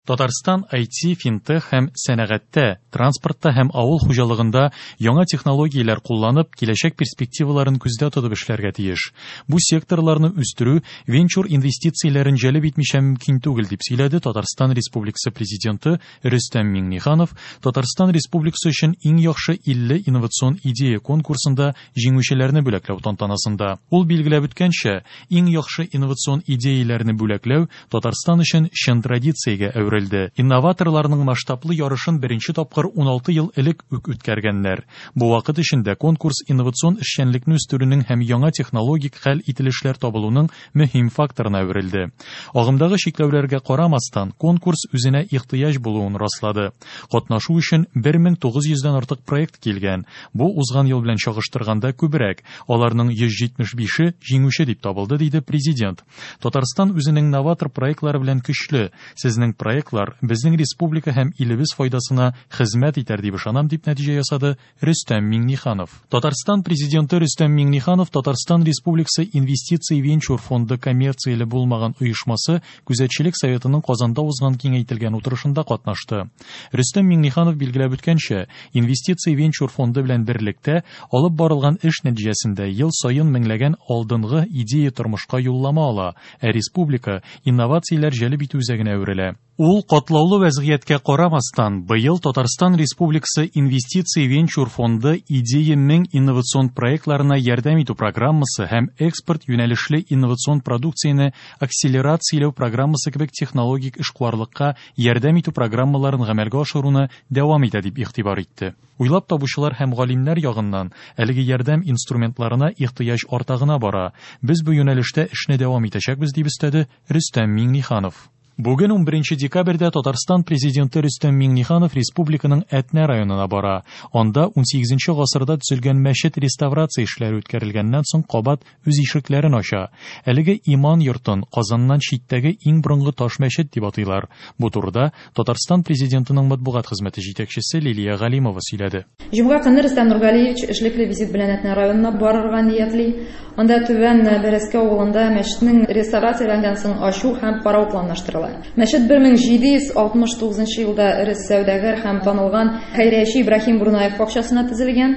Татарстан IT, финтех һәм сәнәгатьтә, транспортта һәм авыл хуҗалыгында яңа технологияләр кулланып, киләчәк перспективаларын күздә тотып эшләргә тиеш. Бу секторларны үстерү венчур инвестицияләрен җәлеп итмичә мөмкин түгел, дип сөйләде Татарстан Республикасы Президенты Рөстәм Миңнеханов Татарстан Республикасы өчен иң яхшы 50 инновацион идея конкурсында җиңүчеләрне бүләкләү тантанасында. Ул билгеләп үткәнчә, иң яхшы инновацион идеяләрне бүләкләү Татарстан өчен чын традициягә әверелде. Инноваторларның масштаблы ярышын беренче тапкыр 16 ел элек үк үткәргәннәр. Бу вакыт эчендә конкурс инновацион эшчәнлекне үстерүнең һәм яңа технологик хәл ителешләр табылуның мөһим факторына әверелде. Агымдагы чикләүләргә карамастан, конкурс үзенә ихтыяҗ булуын раслады. Катнашу өчен 1900 дән артык проект килгән. Бу узган ел белән чагыштырганда күбрәк. Аларның 175-е җиңүче дип табылды, диде Президент. Татарстан үзенең новатор проектлары белән көчле. Сезнең проектлар безнең республика һәм илебез файдасына хезмәт итәр дип ышанам, дип нәтиҗә ясады Рөстәм Миңнеханов. Татарстан Президенты Рөстәм Миңнеханов Татарстан Республикасы Инвестиция венчур фонды коммерцияле булмаган оешмасы Күзәтчелек советының Казанда узган киңәйтелгән утырышында катнашты. Рөстәм Миңнеханов билгеләп үткәнчә, Инвестиция венчур фонды белән берлектә алып барылган эш нәтиҗәсендә ел саен меңләгән алдынгы идея тормышка юллама ала, ә республика инновацияләр җәлеп итү үзәгенә әверелә. Ул катлаулы вәзгыятькә карамастан, быел Татарстан Республикасы Инвестиция венчур фонды Идея 1000 инновацион проектларына ярдәм итү программасы һәм экспорт юнәлешле инновацион продукцияне акселерацияләү программасы кебек технологик эшкуарлыкка ярдәм итү программаларын гамәлгә ашыруны дәвам итә, дип игътибар итте. Уйлап табучылар һәм галимнәр ягыннан әлеге ярдәм инструментларына ихтыяҗ арта гына бара. Без бу юнәлештә эшне дәвам итәчәкбез, дип өстәде Рөстәм Миңнеханов. Бүген 11 декабрьдә Татарстан Президенты Рөстәм Миңнеханов республиканың Әтнә районына бара. Анда 18 гасырда төзелгән мәчет реставрация эшләре үткәрелгәннән соң кабат үз ишекләрен ача. Әлеге иман йортын Казаннан читтәге иң борынгы таш мәчет дип атыйлар. Бу турыда Татарстан Президентының матбугат хезмәте җитәкчесе Лилия Галимова сөйләде. Җомга көнне Рөстәм Нургалиевич эшлекле визит белән Әтнә районына барырга ниятли. Анда Түбән Бәрәскә авылында мәчетнең реставрацияләнгән соң ачу һәм карау планлаштырыла. Мәчет 1769 елда эре сәүдәгәр һәм танылган хәйрияче Ибраһим Бурнаев акчасына төзелгән.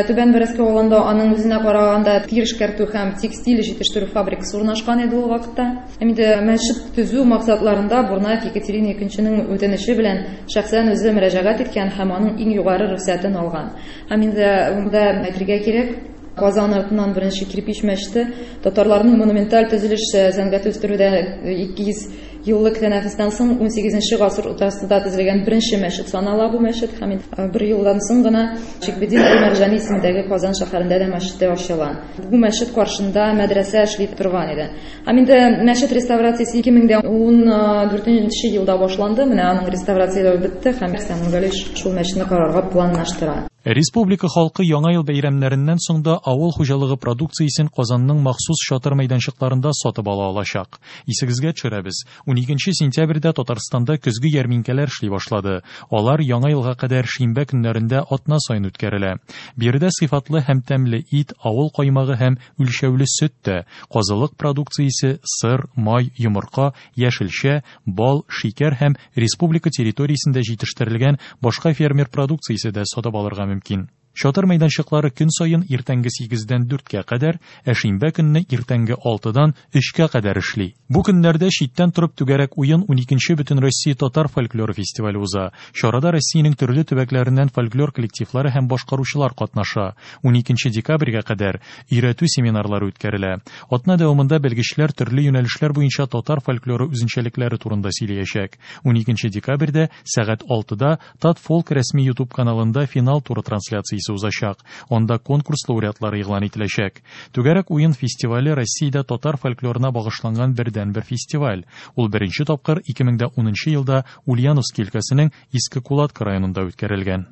Түбән Бәрәскә авылында аның үзенә караганда тир эшкәртү һәм текстиль җитештерү фабрикасы урнашкан иде ул вакытта. Һәм инде мәчет төзү максатларында Бурнаев Екатерина II-нең үтенече белән шәхсән үзе мөрәҗәгать иткән һәм аның иң югары рөхсәтен алган. Һәм инде монда әйтергә кирәк, Казан артыннан беренче кирпич мәчете татарларның монументаль төзелеш сәнгате үстерүдә 200 еллык тәнәфестән соң 18 гасыр уртасында төзелгән беренче мәчет санала бу мәчет һәм бер елдан соң гына Шикбедин әл-Мәрҗани исемендәге Казан шәһәрендә дә мәчете ачыла. Бу мәчет каршында мәдрәсә эшли торган иде. Һәм инде мәчет реставрациясе 2014 елда башланды. Менә аның реставрацияләве бетте һәм Рөстәм Нургалиевич шул мәчетне карарга планлаштыра. Республика халкы Яңа ел бәйрәмнәреннән соң да авыл хуҗалыгы продукциясен Казанның махсус чатыр мәйданчыкларында сатып ала алачак. Исегезгә төшерәбез, 12 сентябрьдә Татарстанда көзге ярминкәләр эшли башлады. Алар Яңа елга кадәр шимбә көннәрендә атна саен үткәрелә. Биредә сыйфатлы һәм тәмле ит, авыл каймагы һәм үлчәүле сөт тә, казылык продукциясе, сыр, май, йомырка, яшелчә, бал, шикәр һәм республика территориясендә җитештерелгән башка фермер продукциясе дә сатып алырга мөмкин. Чатыр мәйданчыклары көн саен иртәнге 8-дән 4-кә кадәр, ә шимбә көнне иртәнге 6-дан 3-кә кадәр эшли. Бу көннәрдә читтән торып түгәрәк уен 12нче Бөтенроссия татар фольклоры фестивале уза. Чарада Россиянең төрле төбәкләреннән фольклор коллективлары һәм башкаручылар катнаша. 12 декабрьгә кадәр өйрәтү семинарлары үткәрелә. Атна дәвамында белгечләр төрле юнәлешләр буенча татар фольклоры үзенчәлекләре турында сөйләячәк. 12 декабрьдә сәгать 6-да Татфолк рәсми YouTube каналында финал туры трансляциясе узачак. Анда конкурс лауреатлары игълан ителәчәк. Түгәрәк уен фестивале Россиядә татар фольклорына багышланган бердәнбер фестиваль. Ул беренче тапкыр 2010 елда Ульяновский өлкәсенең Иске Кулатка районында үткәрелгән.